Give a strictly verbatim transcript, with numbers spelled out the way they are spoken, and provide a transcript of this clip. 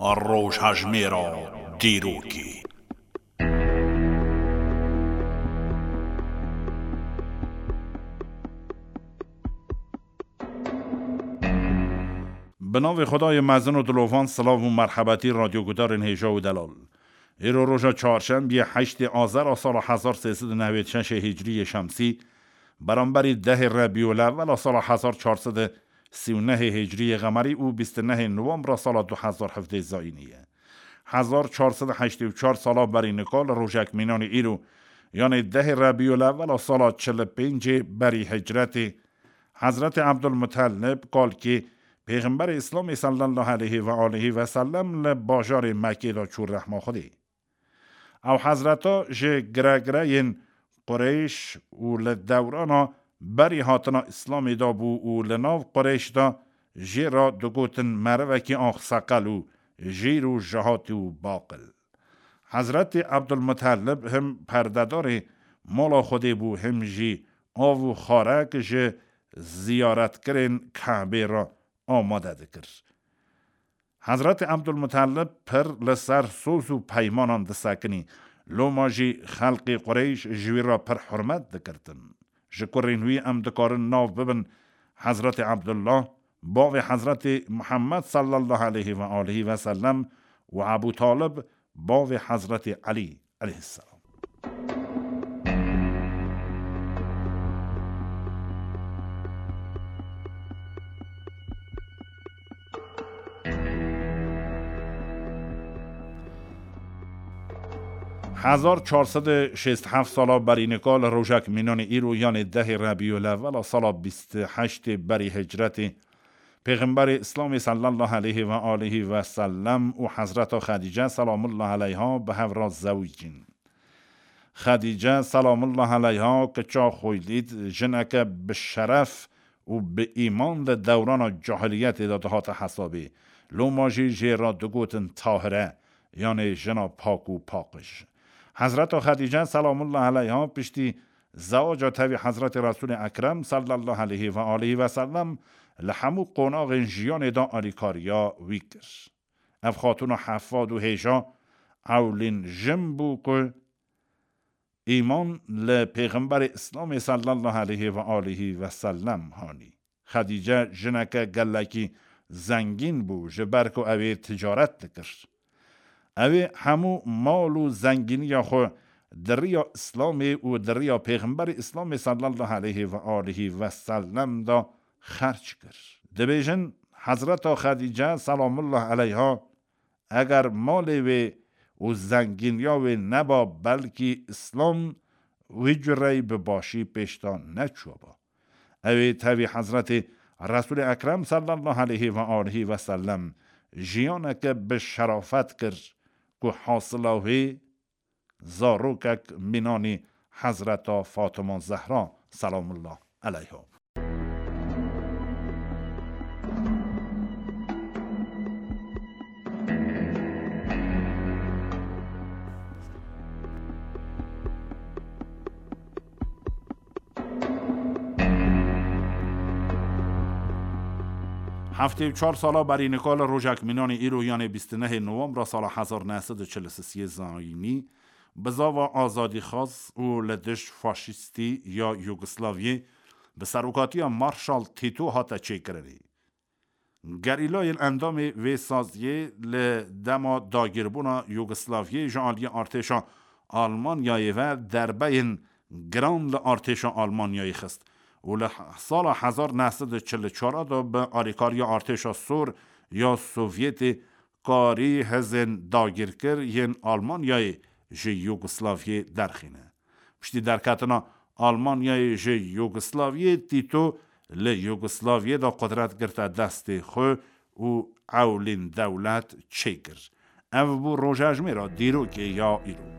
Rojhejmêra dîrokê. Bi navê Xwedayê mezin û dilovan, silav û merhebetî radyogudarên hêja û delal. Îro roja çarşembiyê heştê Azera sala hezar sê sed û newêd şeşê Hicriyê Şemsî, beramberî dehê Rebîulewwela sala hezar çar sed û sî û nehê Hicriyê Qemerî û bîst û nehê Nowembra sala du hezar hevdeh Zayînî ye. Hezar çar sed û heştê û çar sala berî nika li rojek mînanî îro, yanê dehê Rebîulewwela sala çil û pêncê berî hicretê, Hezretê Ebdulmutelib, kalkê Pêxemberê Îslamê sallallahu aleyhi ve aleyhi ve sellem, li bajarê Mekkê de çû rehma Xwedê. Ew hezreta ji giregireyên Qureyş û li dewrana berî hatina Îslamê de bû û li nav Qureyş de jê re digotin merivekî axseqel û jêr û jihatî û baqil. Hezretê Ebdulmutelib him perdedarê mala Xwedê bû, him jî av û xarek ji ziyaretkirên Kebê re amade dikir. Hezretê Ebdulmutelib pir li ser soz û peymanan disekinî. Loma jî xelkê Qureyş ji wî re pir hurmet dikirtin. Ji kurên wî em dikarin nav bibin Hezretê Ebdullah, bavê Hezretê Muhammed sallallahu aleyhi ve aleyhi ve sellem, û Ebû Talib, bavê Hezretê Elî aleyhisselam. Hezar çar sed û şêst heft sala berî nika li rojek mînanê îro, yanê dehê Rebîulewwela sala bîst û heştê berî hicretê, Pêxemberê Îslamê sallallahu aleyhi ve aleyhi ve sellem û Hezreta Xedîce selamullah aleyha bi hev re zewicîn. Xedîce selamullah aleyha kiça Xuweylîd, jineke bi şeref û bi îman di dewrana cahiliyetê de dihate hesabê. Loma jî jê re digotin Tahire, yanê jina pak û paqij. Hezreta Xedîce selamullah aleyha piştî zewaca tevî Hezretê Resûlê Ekrem sallallahu aleyhi ve aleyhi ve sellem li hemû qonaxên jiyanê de alîkariya wî kir. Ev xatûna hefad û hêja ewlîn jin bû ku îman li Pêxemberê Îslamê sallallahu aleyhi ve aleyhi ve sellem hanî. Xedîce jineke gelekî zengîn bû, ji ber ku ew ê ticaret dikir. Ew ê hemû mal û zengîniya xwe di riya Îslamê û di riya Pêxemberê Îslamê sallallahu aleyhi ve aleyhi ve sellem de xerc kir. Dibêjin, Hezreta Xedîce selamullah aleyha, eger malê wê û zengîniya wê neba, belkî Îslam wî cureyî bi başî pêş de neçûba. Ew ê tevî Hezretê Resûlê Ekrem sallallahu aleyhi ve aleyhi ve sellem jiyaneke bi şerafet kir ku hasila wê zarokek mînanî Hezreta Fatima Zehra selamullah aleyha. Heftê û çar sala berî nika li rojek mînanê îro, yanê bîst û nehê Nowembra sala hezar neh sed û çil û sê Zayînî, bizava azadîxwaz û li dij faşîstî ya Yugoslaviyê bi serokatiya Marşal Tîto hate çêkirinê. Gerîlayên endamê vê saziyê li dema dagîrbûna Yugoslaviyê ji aliyê artêşa Almanyayê ve derbeyên giran li artêşa Almanyayê xist û li sala hezar neh sed û çil û çar de bi alîkariya artêşa sor ya Sovyetê karî hêzên dagîrkir yên Almanyayê ji Yugoslaviyê derxîne. Piştî derketina Almanyayê ji Yugoslaviyê, Tîto li Yugoslaviyê de qudret girte destê xwe û ewlîn dewlet çêkir. Ev bû rojejmêra dîrokê ya îro.